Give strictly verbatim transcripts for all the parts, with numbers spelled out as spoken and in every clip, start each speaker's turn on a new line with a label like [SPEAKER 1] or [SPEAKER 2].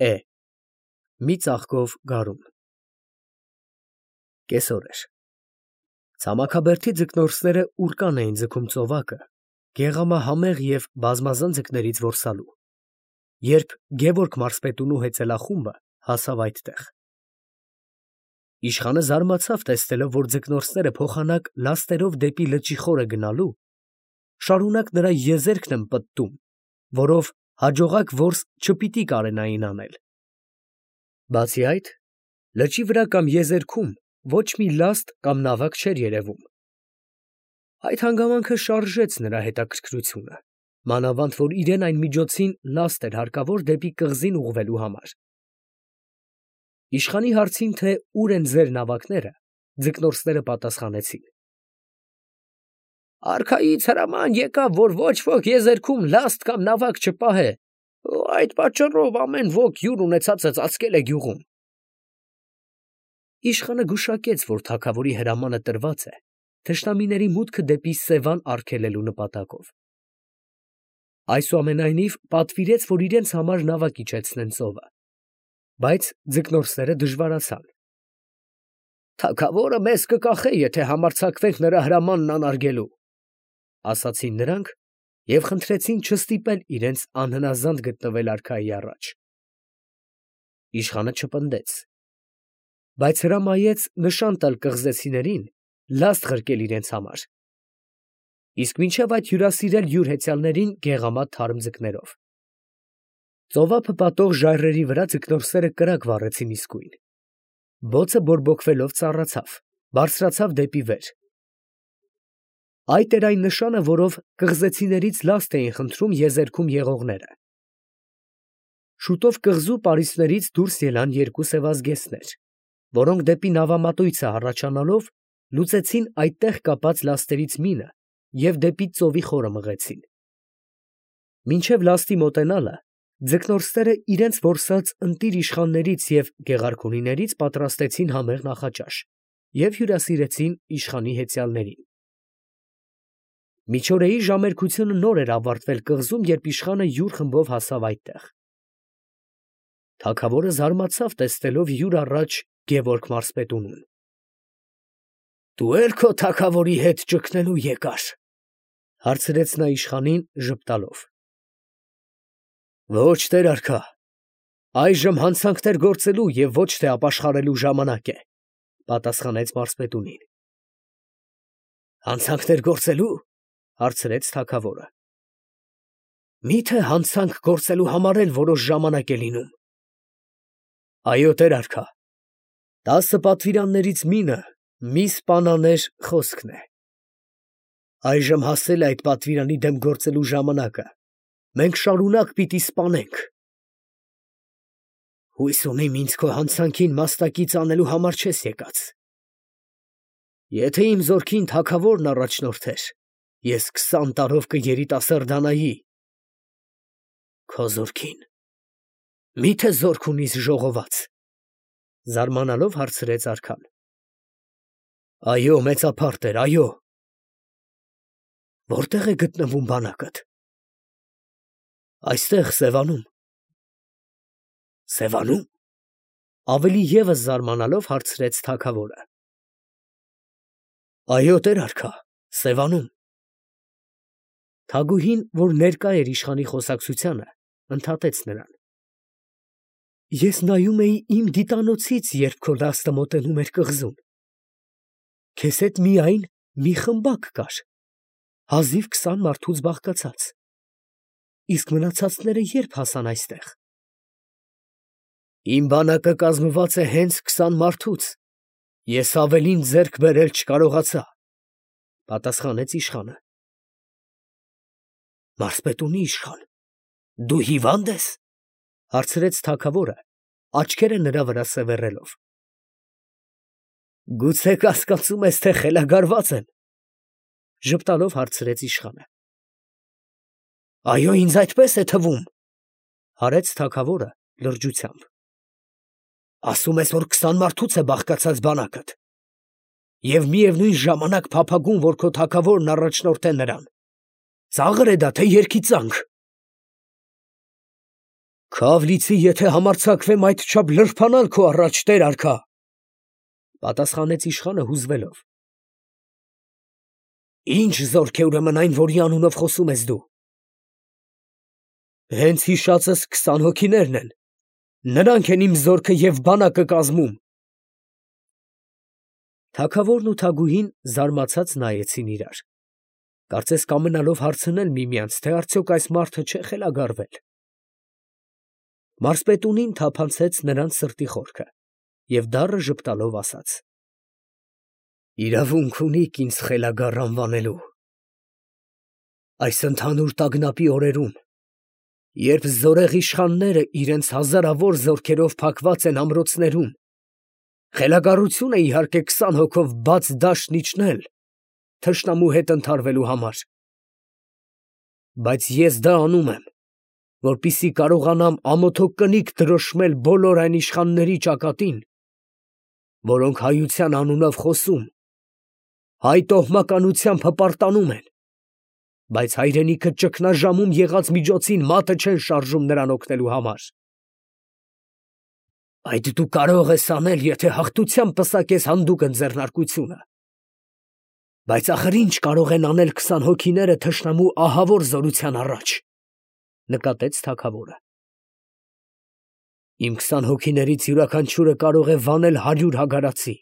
[SPEAKER 1] Է. մի ծաղկով գարուն։ Կեսօր էր։ Ցամաքաբերդի ձկնորսները ուռկան էին ձգում ծովակը, գեղամահամեղ և բազմազան ձկներից որսալու, երբ Գևորգ մարզպետունու հեծելախումբը հասավ այդտեղ։ Իշխանը զարմացավ, տեսնելով, որ ձկնորսները փոխանակ լաստերով դեպի լճի խորը գնալու, շարունակ նրա եզերքն են պտտում, որով հաջողակ որս չպիտի կարենային անել։ Բացի այդ, լճի վրա կամ եզերքում ոչ մի լաստ կամ նավակ չէր երևում։ Այդ հանգամանքը շարժեց նրա հետաքրքրությունը, մանավանդ որ իրեն այն միջոցին լաստ էր հարկավոր դեպի կղզին ուղղվելու համար։ Իշխանի հարցին, թե ուր են ձեր նավակները, ձկնորսները պատասխանեցին. Արքայից հրաման եկավ, որ ոչ ոք եզերքում լաստ կամ նավակ չպահե, այդ պատճառով ամեն ոք յուր ունեցածը ծածկել է գյուղում։ Իշխանը գուշակեց, որ թագավորի հրամանը տրված է թշնամիների մուտքը դեպի Սևան արգելելու նպատակով։ Այսուամենայնիվ պատվիրեց, որ իրենց համար նավակ իջեցնեն ծովը, բայց ձկնորսները դժվարացան։ Թագավորը մեզ կկախե, եթե համարձակվենք նրա հրամանն անարգելու, ասացին նրանք և խնդրեցին չստիպել իրենց անհնազանդ գտնվել արքայի առաջ։ Իշխանը չպնդեց, բայց հրամայեց նշան տալ կղզեցիներին լաստ ղրկել իրենց համար, իսկ մինչև այդ հյուրասիրել յուր հեծյալներին գեղամատ թարմ ձկներով։ Ծովափը պատող ժայռերի վրա ձկնորսերը կրակ վառեցին իսկույն։ Բոցը բորբոքվելով ծառացավ, բարձրացավ դեպի վեր։ Այդ էր այն նշանը, որով կղզեցիներից լաստ էին խնդրում եզերքում եղողները։ Շուտով կղզու պարիսպներից դուրս ելան երկու սևազգեստներ, որոնք դեպի նավամատույցը հառաչանալով լուծեցին այդտեղ կապած լաստերից մինը և դեպի ծովի խորը մղեցին։ Մինչև լաստի մոտենալը ձկնորսները իրենց որսած ընտիր իշխաններից և գեղարքունիներից պատրաստեցին համեղ նախաճաշ և հյուրասիրեցին իշխանի հեծյալներին։ Միջօրեի ժամերկությունը նոր էր ավարտվել կղզում, երբ իշխանը յուր խմբով հասավ այդտեղ։ Թագավորը զարմացավ, տեսնելով յուր առաջ Գևորգ մարզպետունուն։ Դու էլ քո թագավորի հետ ճգնելու եկար, հարցրեց նա իշխանին ժպտալով։ Ոչ, տեր արքա, այժմ հանցանքներ գործելու և ոչ թե ապաշխարելու ժամանակ է, պատասխանեց մարզպետունին։ Հանցանքներ գործելու, հարցրեց թագավորը։ Մի՞թե հանցանք գործելու համար էլ որոշ ժամանակ է լինում։ Այո, տեր արքա, տասը պատվիրաններից մինը մի սպանաներ խոսքն է։ Այժմ հասել է այդ պատվիրանի դեմ գործելու ժամանակը, մենք շարունակ պիտի սպանենք։ Հույս ունիմ ինձ քո հանցանքին մասնակից անելու համար չես եկած։ Եթե իմ զորքին թագավորն առաջնորդեր, ես քսան տարով կերիտասարդանայի։ Քո զորքին, մի՞թե զորք ունիս ժողոված, զարմանալով հարցրեց արքան։ Այո, մեծափառ տեր, այո։ Որտե՞ղ է գտնվում բանակդ։ Այստեղ, Սևանում։ Սևանո՞ւմ, ավելի ևս զարմանալով հարցրեց թագավորը։ Այո, տեր արքա, Սևանում։ Թագուհին, որ ներկա էր իշխանի խոսակցությանը, ընդհատեց նրան։ Ես նայում էի իմ դիտանոցից, երբ քո լաստը մոտենում էր կղզուն։ Քեզ հետ միայն մի խմբակ կար, հազիվ քսան մարդուց բաղկացած, իսկ մնացածները երբ հասան այստեղ։ Իմ բանակը կազմված է հենց քսան մարդուց, ես ավելին ձեռք բերել չկարողացա, պատասխանեց իշխանը։ Մարզպետունի իշխան, դու հիվա՞նդ ես, հարցրեց թագավորը, աչքերը նրա վրա սևեռելով։ Գուցե կասկածում ես, թե խելագարված եմ, ժպտալով հարցրեց իշխանը։ Այո, ինձ այդպես է թվում, հարեց թագավորը լրջությամբ։ Ասում ես, որ քսան մարդուց է բաղկացած բանակդ, և միևնույն ժամանակ փափագում, որ քո թագավորն առաջնորդ է նրան։ Ծա՞ղր է դա, թե երգիծանք։ Քավլիցի, եթե համարձակվեմ այդչափ լրփանալ քո առաջ, տեր արքա, պատասխանեց իշխանը հուզվելով։ Ինչ զորք է ուրեմն այն, որի անունով խոսում ես դու։ Հենց հիշածս քսան հոգիներն են, նրանք են իմ զորքը և բանակը կազմում։ Թագավորն ու թագուհին զարմացած նայեցին իրար, կարծես կամենալով հարցնել միմյանց, թե արդյոք այս մարդը չէ խելագարվել։ Մարզպետունին թափանցեց նրանց սրտի խորքը և դառը ժպտալով ասաց. Իրավունք ունիք ինձ խելագար անվանելու։ Այս ընդհանուր տագնապի օրերում, երբ զորեղ իշխանները իրենց հազարավոր զորքերով փակված են ամրոցներում, խելագարություն է իհարկե քսան հոգով բաց դաշտն իջնել թշնամու հետ ընդհարվելու համար, բայց ես դա անում եմ, որպեսզի կարողանամ ամոթոք կնիկ դրոշմել բոլոր այն իշխանների ճակատին, որոնք հայության անունով խոսում, հայ տոհմականությամբ հպարտանում են, բայց հայրենիքը ճգնաժամում եղած միջոցին մատը չեն շարժում նրան օգնելու համար։ Այդ դու կարող ես անել, եթե հաղթությամբ պսակես հանդուգն ձեռնարկությունը, բայց ախր ինչ կարող են անել քսան հոգիները թշնամու ահավոր զորության առաջ, նկատեց թագավորը։ Իմ քսան հոգիներից յուրաքանչյուրը կարող է վանել հարյուր հագարացի։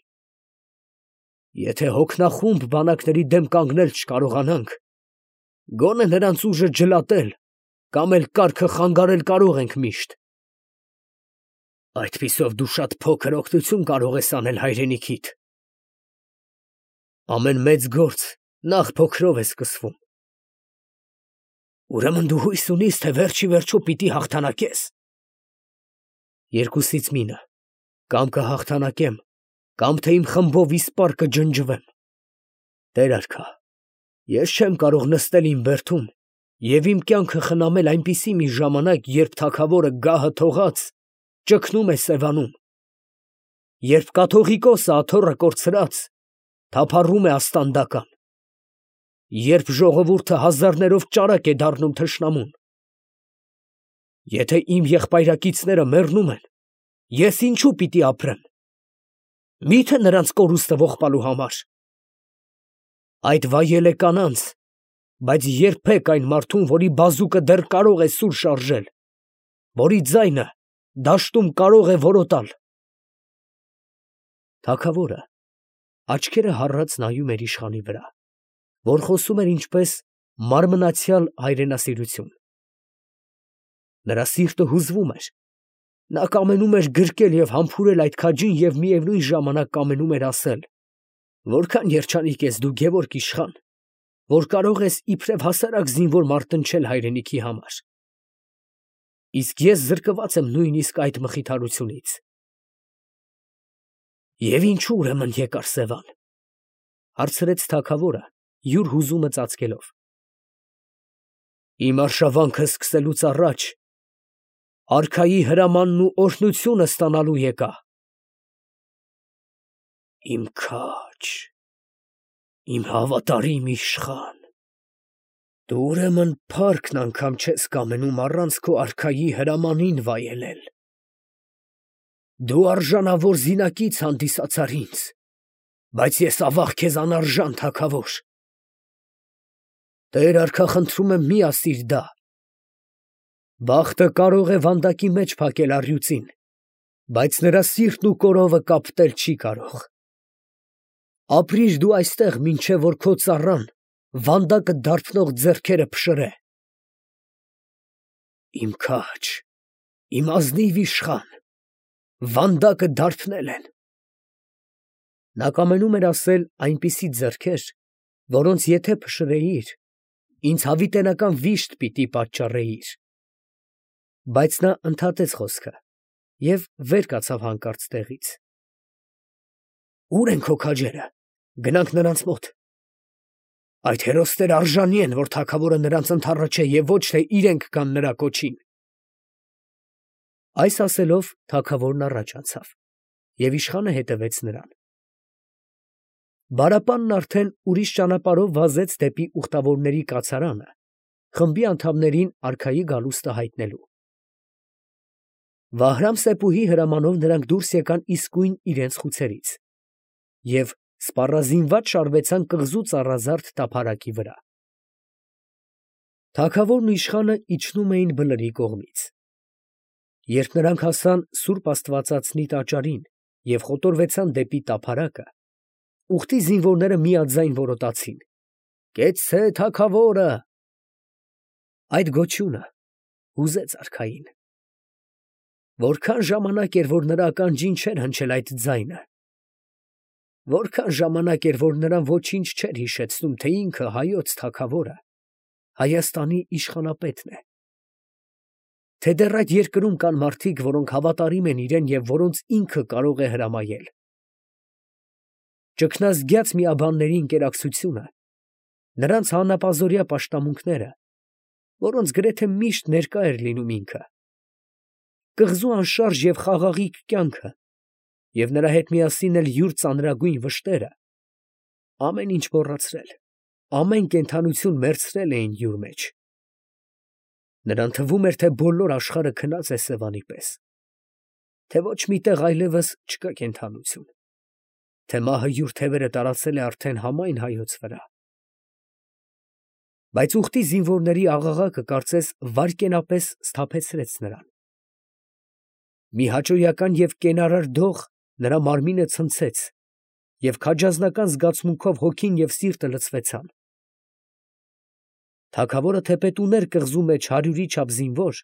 [SPEAKER 1] Եթե հոգնախումբ բանակների դեմ կանգնել չկարողանանք, գոնե նրանց ուժը ջլատել կամ էլ կառքը խանգարել կարող ենք միշտ։ Այդպիսով դու շատ փոքր օգնություն կարող ես անել հայրենիքիդ։ Ամեն մեծ գործ նախ փոքրով է սկսվում։ Ուրեմն դու հույս ունիս, թե վերջ ի վերջո պիտի հաղթանակես։ Երկուսից մինը, կամ կհաղթանակեմ, կամ թե իմ խմբով իսպառ կջնջվեմ։ Տեր արքա, ես չեմ կարող նստել իմ բերդում և իմ կյանքը խնամել այնպիսի մի ժամանակ, երբ թագավորը գահը թողած ճգնում է Սևանում, երբ կաթողիկոսը աթոռը կորցրած թափառում է աստանդական, երբ ժողովուրդը հազարներով ճարակ է դառնում թշնամուն։ Եթե իմ եղբայրակիցները մեռնում են, ես ինչու պիտի ապրեմ։ Մի՞թե նրանց կորուստը ողբալու համար։ Այդ վայել է կանանց, բայց երբեք այն մարդուն, որի բազուկը դեռ կարող է սուր շարժել, որի ձայնը դաշտում կարող է որոտալ։ Թագավորը աչքերը հառած նայում էր իշխանի վրա, որ խոսում էր ինչպես մարմնացյալ հայրենասիրություն։ Նրա սիրտը հուզվում էր, նա կամենում էր գրկել և համբուրել այդ քաջին և միևնույն ժամանակ կամենում էր ասել. որքան երջանիկ ես դու, Գևորգ իշխան, որ կարող ես իբրև հասարակ զինվոր մարտնչել հայրենիքի համար։ Իսկ ես զրկված եմ նույնիսկ այդ մխիթարությունից։ Եվ ինչու ուրեմն եկար Սևան, հարցրեց թագավորը, յուր հուզումը ծածկելով։ Իմ արշավանքը սկսելուց առաջ արքայի հրամանն ու օրհնությունը ստանալու եկա։ Իմ քաջ, իմ հավատարիմ իշխան, դու ուրեմն փառքն անգամ չես կամենում առանց քո արքայի հրամանին վայելել։ Դու արժանավոր զինակից հանդիսացար ինձ, բայց ես ավաղ քեզ անարժան թագավոր։ Տեր արքա, խնդրում եմ, մի ասիր դա։ Բախտը կարող է վանդակի մեջ փակել առյուծին, բայց նրա սիրտն ու կորովը կապտել չի կարող։ Ապրիր դու այստեղ, մինչև որ քո ծառան վանդակը դարբնող ձեռքերը փշրե։ Իմ քաջ, իմ ազնիվ իշխան, վանդակը դարբնել են։ Նա կամենում էր ասել այնպիսի ձեռքեր, որոնց եթե փշրեիր, ինձ հավիտենական վիշտ պիտի պատճառեիր։ Բայց նա ընդհատեց խոսքը և վեր կացավ հանկարծ տեղից։ Ո՞ւր են քո քաջերը, գնանք նրանց մոտ։ Այդ հերոսները արժանի են, որ թագավորը նրանց ընդառաջե և ոչ թե իրենք գան նրա կոչին։ Այս ասելով թագավորն առաջ անցավ, և իշխանը հետևեց նրան։ Բարապանն արդեն ուրիշ ճանապարհով վազեց դեպի ուխտավորների կացարանը, խմբի անդամներին արքայի գալուստը հայտնելու։ Վահրամ-Սեփուհի հրամանով նրանք դուրս եկան իսկույն իրենց խուցերից և սպառազինված շարվեցան կղզու ծառազարդ տափարակի վրա։ Թագավորն ու իշխանը իջնում էին բլրի կողմից։ Երբ նրանք հասան սուրբ աստվածածնի տաճարին և խոտորվեցան դեպի տափարակը, ուխտի զինվորները միաձայն որոտացին. «Կեցցե թագավորը»։ Այդ գոչյունը հուզեց արքային։ Որքան ժամանակ էր, որ նրա ականջին չէր հնչել այդ ձայնը, որքան ժամանակ էր, որ նրան ոչինչ չէր հիշեցնում, թե ինքը հայոց թագավորը Հայաստանի իշխանապետն է, թե դեռ այդ երկրում կան մարդիկ, որոնք հավատարիմ են իրեն և որոնց ինքը կարող է հրամայել։ Ճգնազգյաց միաբանների ընկերակցությունը, նրանց հանապազօրյա պաշտամունքները, որոնց գրեթե միշտ ներկա էր լինում ինքը, կղզու անշարժ և խաղաղիկ կյանքը և նրա հետ միասին էլ յուր ծանրագույն վշտերը, ամեն ինչ մոռացրել, ամեն կենդանություն մեռցրել էին յուր մեջ։ Նրան թվում էր, թե բոլոր աշխարհը քնած է Սևանի պես, թե ոչ մի տեղ այլևս չկա կենդանություն, թե մահը յուր թևերը տարածել է արդեն համայն հայոց վրա։ Բայց ուխտի զինվորների աղաղակը կարծես վայրկենապես սթափեցրեց նրան։ Մի հաճոյական և կենարար դող նրա մարմինը ցնցեց, և քաջազնական զգացմունքով հոգին և սիրտը լցվեցան։ Թագավորը թեպետ ուներ կղզու մեջ հարյուրի չափ զինվոր,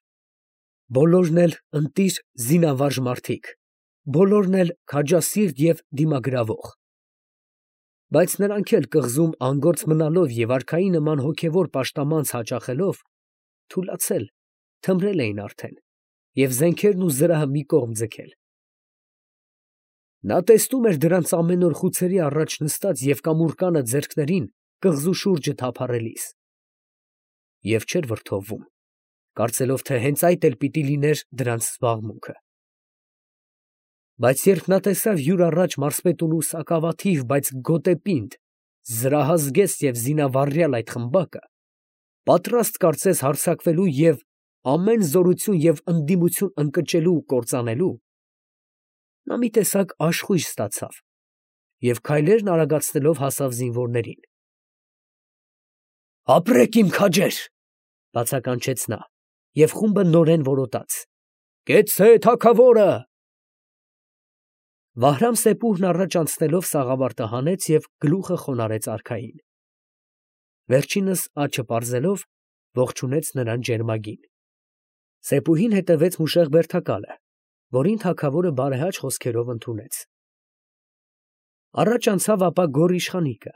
[SPEAKER 1] բոլորն էլ ընտիր զինավարժ մարդիկ, բոլորն էլ քաջասիրտ և դիմագրավող։ Բայց նրանք էլ կղզում անգործ մնալով և արքայի նման հոգևոր պաշտամանց հաճախելով, թուլացել, թմրել էին արդեն և զենքերն ու զրահը մի կողմ ձգել։ Նա տեսնում էր դրանց ամեն օր խուցերի առաջ նստած և կամուրկանը ձեռքներին կղզու շուրջը թափառելիս, և չէր վրդովվում, կարծելով, թե հենց այդ էլ պիտի լիներ դրանց զբաղմունքը։ Բայց երբ նա տեսավ յուր առաջ մարզպետունու սակավաթիվ, բայց գոտեպինդ, զրահազգեստ և զինավառյալ այդ խմբակը, պատրաստ կարծես հարձակվելու և ամեն զորություն և ընդդիմություն ընկճելու ու կործանելու, նա մի տեսակ աշխույժ ստացավ և քայլերն արագացնելով հասավ զինվորներին։ «Ապրեք, իմ քաջեր», ֊ բացականչեց նա, և խումբը նորեն որոտաց. «Կեցցե թագավորը»։ Վահրամ֊Սեփուհն առաջ անցնելով սաղավարտը հանեց և գլուխը խոնարհեց արքային։ Վերջինս աչը պարզելով, ողջունեց նրան ջերմագին։ Սեփուհին հետևեց մուշեղ բերդակալը, որին թագավորը բարեհաճ խոսքերով ընդունեց։ Առաջ անցավ ապա գոռ իշխանիկը։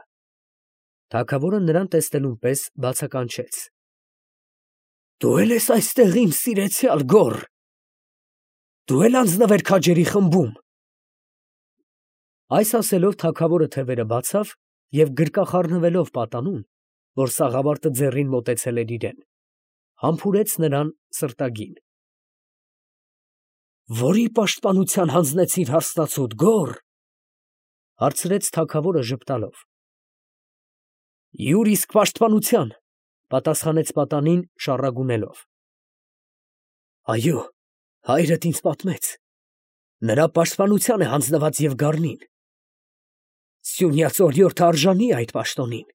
[SPEAKER 1] Թագավորը նրան տեսնելուն պես բացականչեց. «Դու էլ ես այստեղ, իմ սիրեցյալ գոռ, դու էլ անձնվեր քաջերի խմբում»։ Այս ասելով թագավորը թևերը բացավ և գրկախառնվելով պատանուն, որ սաղավարտը ձեռին մոտեցել էր իրան, համբուրեց նրան սրտագին։ «Որի պաշտպանության հանձնեցիր հարսնացուդ, գոռ, ֊ հարցրեց թագավորը ժպտալով։ ֊ Յուր իսկ պաշտպանության, ֊ պատասխանեց պատանին շառագունելով։ ֊ Այո, հայրդ ինձ պատմեց, նրա պաշտպանության է հանձնված և գառնին։ Սյունյաց օրիորդը արժանի է այդ պաշտոնին։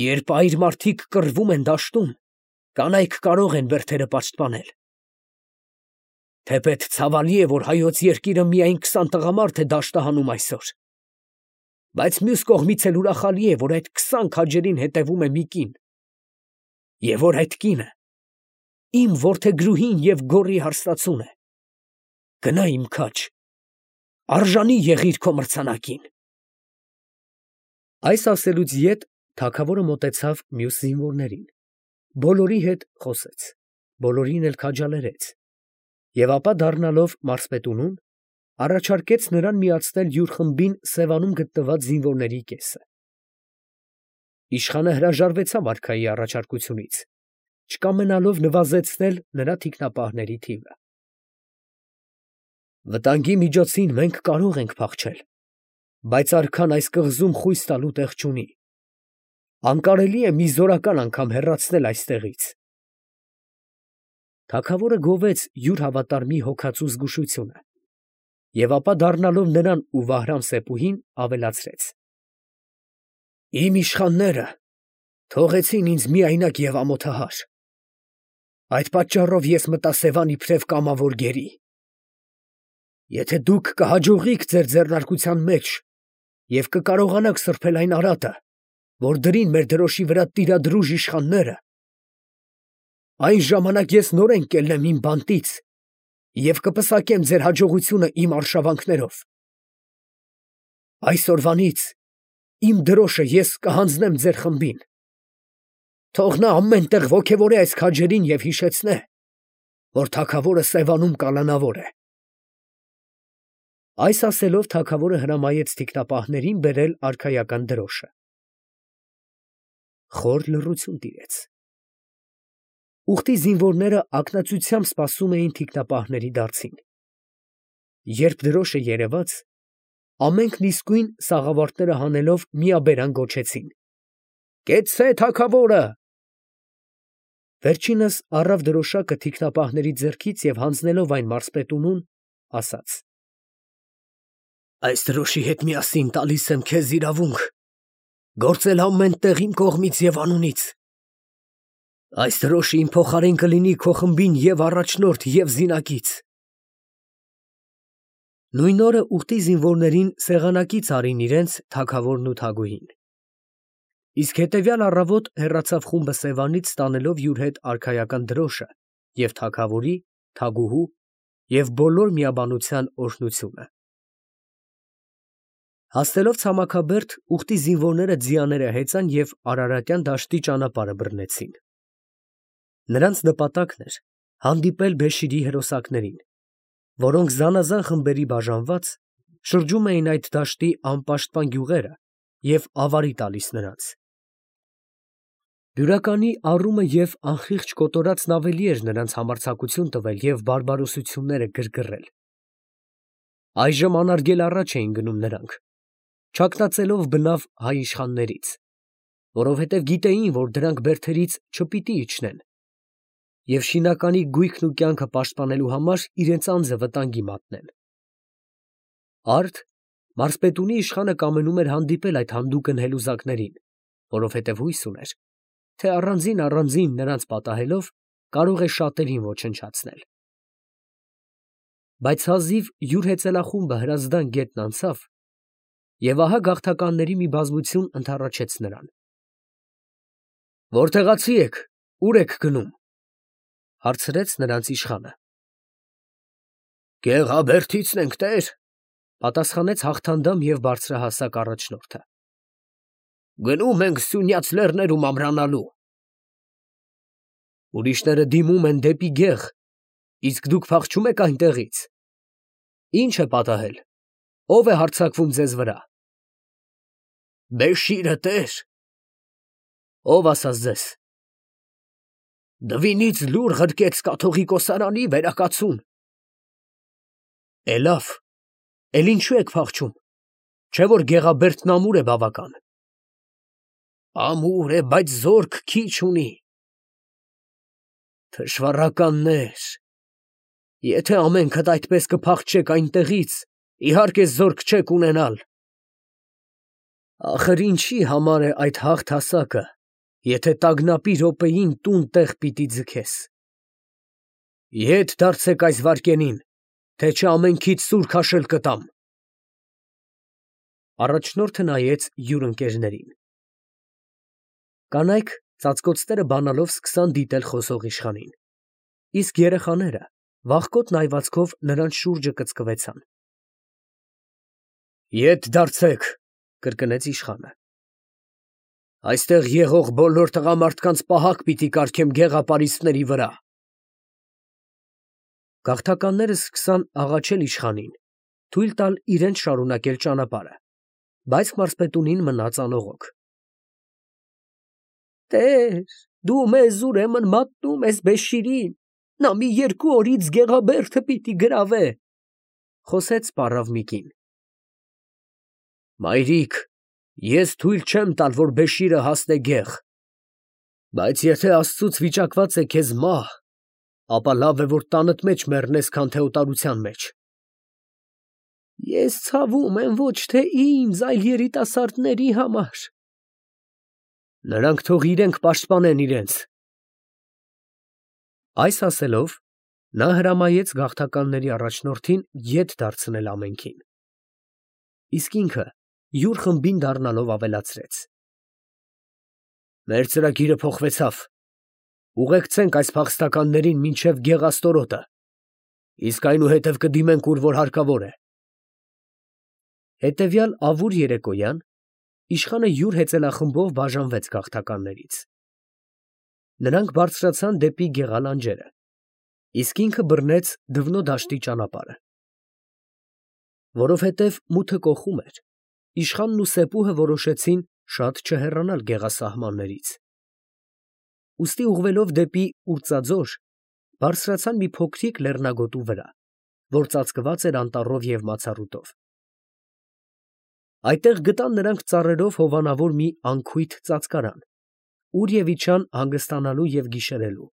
[SPEAKER 1] Երբ այր մարդիկ կռվում են դաշտում, կանայք կարող են բերդերը պաշտպանել։ Թեպետ ցավալի է, որ հայոց երկիրը միայն քսան տղամարդ է դաշտը հանում այսօր, բայց մյուս կողմից էլ ուրախալի է, որ այդ քսան քաջերին հետևում է մի կին, և որ այդ կինը իմ որդեգրուհին և գոռի հարսնացուն է։ Գնա, իմ քաջ, արժանի եղիր քո մրցանակին»։ Այս ասելուց ետ թագավորը մոտեցավ մյուս զինվորներին, բոլորի հետ խոսեց, բոլորին էլ քաջալերեց և ապա դառնալով մարզպետունուն, առաջարկեց նրան միացնել յուր խմբին Սևանում գտնված զինվորների կեսը։ Իշխանը հրաժարվեցավ արքայի առաջարկությունից, չկամենալով նվազեցնել նրա թիկնապահների թիվը։ «Վտանգի միջոցին մենք կարող ենք փախչել, բայց արքան այս կղզում խույս տալու տեղ չունի։ Անկարելի է մի զորական անգամ հեռացնել այստեղից»։ Թագավորը գովեց յուր հավատարմի հոգածու զգուշությունը և ապա դառնալով նրան ու Վահրամ սեպուհին ավելացրեց. «Իմ իշխանները թողեցին ինձ միայնակ և ամոթահար. այդ պատճառով ես մտա Սևան իբրև կամավոր գերի։ Եթե դուք կհաջողիք ձեր ձեռնարկության մեջ և կկարողանաք սրբել այն արատը, որ դրին մեր դրոշի վրա տիրադրուժ իշխանները, այն ժամանակ ես նորեն կելնեմ իմ բանտից և կպսակեմ ձեր հաջողությունը իմ արշավանքներով։ Այսօրվանից իմ դրոշը ես կհանձնեմ ձեր խմբին. թող նա ամեն տեղ ոգևորե այս քաջերին և հիշեցնե, որ թագավորը Սևանում կալանավոր է»։ Այս ասելով թագավորը հրամայեց թիկնապահներին բերել արքայական դրոշը։ Խոր լռություն տիրեց։ Ուղտի զինվորները ակնածությամբ սպասում էին թիկնապահների դարձին։ Երբ դրոշը երևաց, ամենքն իսկույն սաղավարտները հանելով միաբերան գոչեցին. «Կեցցե թագավորը»։ Վերջինս առավ դրոշակը թիկնապահների ձեռքից և հանձնելով այն մարզպետունուն, ասաց. «Այս դրոշի հետ միասին տալիս եմ քեզ իրավունք գործել ամեն տեղ իմ կողմից և անունից։ Այս դրոշը իմ փոխարեն կլինի քո խմբին և առաջնորդ, և զինակից»։ Նույն օրը ուղտի զինվորներին սեղանակից արին իրենց թագավորն ու թագուհին։ Իսկ հետևյալ առավոտ հեռացավ խումբը Սևանից ստանելով յուր հետ արքայական դրոշը և թագավորի, թագուհու և բոլոր միաբանության օրհնությունը։ Հասնելով ցամաքաբերդ, ուղտի զինվորները ձիաները հեծան և Արարատյան դաշտի ճանապարհը բռնեցին։ Նրանց նպատակն էր հանդիպել Բեշիրի հրոսակներին, որոնք զանազան խմբերի բաժանված շրջում էին այդ դաշտի անպաշտպան գյուղերը և ավարի տալիս նրանց։ Բյուրականի առումը և անխիղճ կոտորածն ավելի էր նրանց համարձակություն տվել և բարբարոսությունները գրգռել։ Այժմ անարգել առաջ էին գնում նրանք, չակնածելով բնավ հայ իշխաններից, որովհետև գիտեին, որ դրանք բերդերից չպիտի իջնեն և շինականի գույքն ու կյանքը պաշտպանելու համար իրենց անձը վտանգի մատնեն։ Արդ մարզպետունի իշխանը կամենում էր հանդիպել այդ հանդուգն հելուզակներին, որովհետև հույս ուներ, թե առանձին֊առանձին նրանց պատահելով կարող է շատերին ոչնչացնել։ Բայց հազիվ յուր հեծելախումբը Հրազդան գետն անցավ, և ահա գաղթականների մի բազմություն ընդառաջեց նրան։ «Որտեղացի եք, ուր եք գնում», ֊ հարցրեց նրանց իշխանը։ «Գեղաբերդիցն ենք, տեր», ֊ պատասխանեց հաղթանդամ և բարձրահասակ առաջնորդը։ «Գնում ենք Սյունյաց լեռներում ամրանալու»։ «Ուրիշները դիմում են դեպի գեղ, իսկ դուք փախչում եք այնտեղից։ Ի՞նչ է պատահել, ո՞վ է հարձակվում ձեզ վրա»։ «Բեշիրը, տեր»։ «Ո՞վ ասաց ձեզ»։ «Դվինից լուր ղրկեց կաթողիկոսարանի վերակացուն»։ «Է լավ, էլ ինչո՞ւ եք փախչում, չէ՞ որ Գեղաբերդն ամուր է բավական»։ «Ամուր է, բայց զորք քիչ ունի»։ «Թշվառականներ, եթե ամենքդ այդպես կփախչեք այնտեղից, իհարկե զորք չեք ունենալ»։ «Ախր ինչի համար է այդ հաղթասակը, եթե տագնապի րոպեին տուն տեղ պիտի ձգես։ Ետ դարձեք այս վայրկենին, թե չէ ամենքիդ սուր քաշել կտամ»։ Առաջնորդը նայեց յուր ընկերներին։ Կանայք ծածկոցները բանալով սկսան դիտել խոսող իշխանին, իսկ երեխաները վախկոտ նայվածքով նրանց շուրջը կծկվեցան։ «Ետ դարձեք», ֊ կրկնեց իշխանը։ «Այստեղ եղող բոլոր տղամարդկանց պահակ պիտի կարգեմ գեղապարիսպների վրա»։ Գաղթականները սկսան աղաչել իշխանին, թույլ տալ իրենց շարունակել ճանապարհը, բայց մարզպետունին մնաց անողոք։ «Տեր, դու մեզ ուրեմն մատնում ես Բեշիրին, նա մի երկու օրից Գեղաբերդը պիտի գրավե», ֊ խոսեց պառավ մի կին։ «Մայրիկ, ես թույլ չեմ տալ, որ Բեշիրը հասնե գեղ, բայց եթե Աստծուց վիճակված է քեզ մահ, ապա լավ է, որ տանդ մեջ մեռնես, քան թե օտարության մեջ։ Ես ցավում եմ ոչ թե ինձ, այլ երիտասարդների համար։ Նրանք թող իրենք պաշտպանեն իրենց։ Այս ասելով, նա հրամայեց գաղթականների առաջնորդին ետ դարձնել ամենքին։ Իսկ ինքը յուր խմբին դառնալով ավելացրեց. Մեր ծրագիրը փոխվեցավ. ուղեկցենք այս փախստականներին մինչև Գեղաստորոտը, իսկ այնուհետև կդիմենք ուր որ հարկավոր է։ Հետևյալ ավուր երեկոյան իշխանը յուր հեծելախմբով բաժանվեց գաղթականներից։ Նրանք բարձրացան դեպի Գեղալանջերը, իսկ ինքը բռնեց Դվնո դաշտի ճանապարհը։ Որովհետև մութը կոխում էր, իշխանն ու Սեպուհը որոշեցին շատ չհեռանալ գեղասահմաններից։ Ուստի ուղղվելով դեպի Ուրծաձոր, բարձրացան մի փոքրիկ լեռնագոտու վրա, որ ծածկված էր անտառով և մացառուտով։ Այդտեղ գտան նրանք ծառերով հովանավոր մի անքույթ ծածկարան, ուր և իջան հանգստանալու և գիշերելու։